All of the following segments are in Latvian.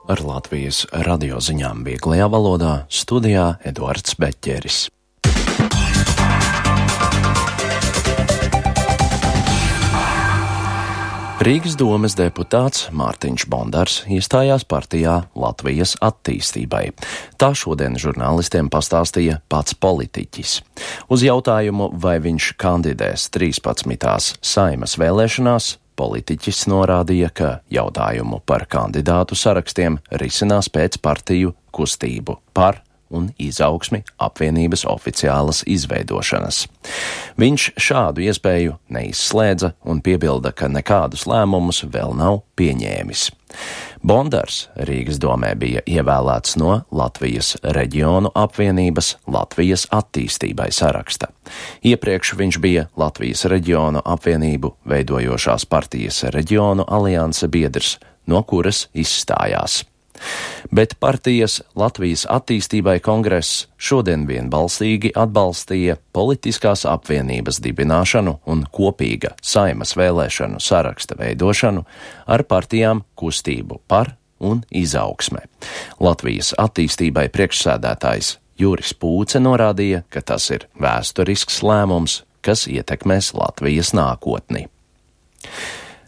Ar Latvijas radioziņām vieglajā valodā studijā Eduards Beķeris. Rīgas domes deputāts Mārtiņš Bondars iestājās partijā Latvijas attīstībai. Tā šodien žurnālistiem pastāstīja pats politiķis. Uz jautājumu, vai viņš kandidēs 13. Saeimas vēlēšanās, politiķis norādīja, ka jautājumu par kandidātu sarakstiem risinās pēc partiju kustību par un izaugsmi apvienības oficiālas izveidošanas. Viņš šādu iespēju neizslēdza un piebilda, ka nekādus lēmumus vēl nav pieņēmis. Bondars Rīgas domē bija ievēlēts no Latvijas reģionu apvienības Latvijas attīstībai saraksta. Iepriekš viņš bija Latvijas reģionu apvienību veidojošās partijas reģionu alianse biedrs, no kuras izstājās. Bet partijas Latvijas attīstībai kongress šodien vienbalsīgi atbalstīja politiskās apvienības dibināšanu un kopīga Saeimas vēlēšanu saraksta veidošanu ar partijām kustību par un izaugsme. Latvijas attīstībai priekšsēdētājs Juris Pūce norādīja, ka tas ir vēsturisks lēmums, kas ietekmēs Latvijas nākotni.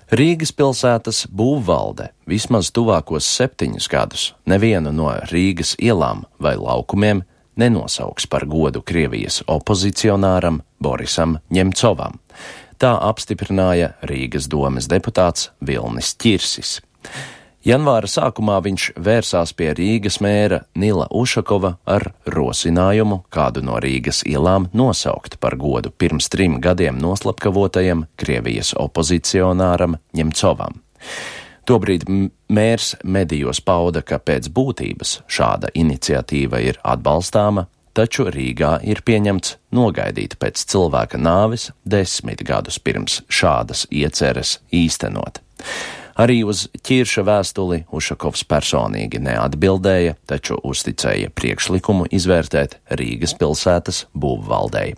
Rīgas pilsētas būvvalde vismaz tuvākos 7 gadus nevienu no Rīgas ielām vai laukumiem nenosauks par godu Krievijas opozicionāram Borisam Ņemcovam. Tā apstiprināja Rīgas domes deputāts Vilnis Ķirsis. Janvāra sākumā viņš vērsās pie Rīgas mēra Nila Ušakova ar rosinājumu kādu no Rīgas ielām nosaukt par godu pirms 3 gadiem noslapkavotajam Krievijas opozicionāram Ņemcovam. Tobrīd mērs medijos pauda, ka pēc būtības šāda iniciatīva ir atbalstāma, taču Rīgā ir pieņemts nogaidīt pēc cilvēka nāves 10 gadus pirms šādas ieceres īstenot. Arī uz Ķirša vēstuli Ušakovs personīgi neatbildēja, taču uzticēja priekšlikumu izvērtēt Rīgas pilsētas būvvaldei.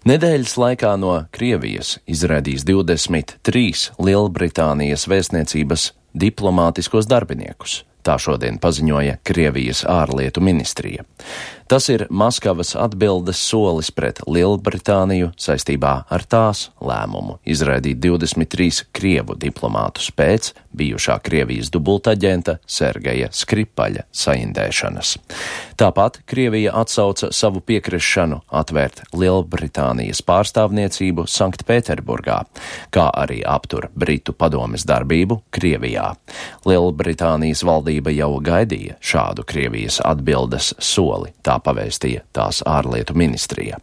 Nedēļas laikā no Krievijas izraidīs 23 Lielbritānijas vēstniecības diplomātiskos darbiniekus. Tā šodien paziņoja Krievijas ārlietu ministrija. Tas ir Maskavas atbildes solis pret Lielbritāniju saistībā ar tās lēmumu izraidīt 23 krievu diplomātus pēc bijušā Krievijas dubultaģenta Sergeja Skripaļa saindēšanas. Tāpat Krievija atsauca savu piekrišanu atvērt Lielbritānijas pārstāvniecību Sanktpēterburgā, kā arī aptur Britu padomes darbību Krievijā. Lielbritānijas valdība jau gaidīja šādu Krievijas atbildes soli, tā pavēstīja tās ārlietu ministrija.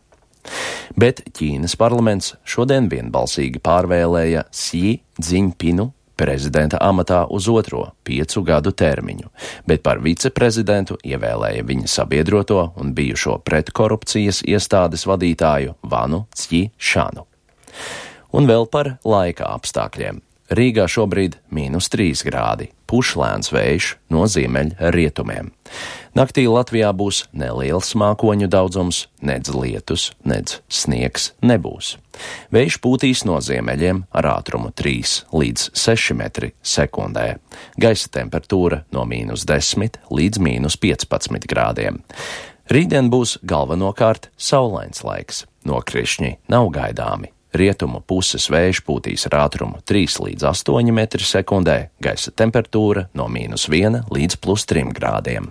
Bet Ķīnas parlaments šodien vienbalsīgi pārvēlēja Xi Dzinpinu prezidenta amatā uz 2. 5 gadu termiņu, bet par viceprezidentu ievēlēja viņa sabiedroto un bijušo pretkorupcijas iestādes vadītāju Vanu Cjišanu. Un vēl par laika apstākļiem. Rīgā šobrīd -3 grādi, puš lēns vējš no ziemeļrietumiem. Naktī Latvijā būs neliels mākoņu daudzums, nedz lietus, nedz sniegs nebūs. Vējš pūtīs no ziemeļiem ar ātrumu 3 līdz 6 metri sekundē. Gaisa temperatūra no -10 līdz -15 grādiem. Rītdien būs galvenokārt saulains laiks, nokrišņi nav gaidāmi. Rietumu puses vējš pūtīs ar ātrumu 3 līdz 8 metri sekundē, gaisa temperatūra no -1 līdz +3 grādiem.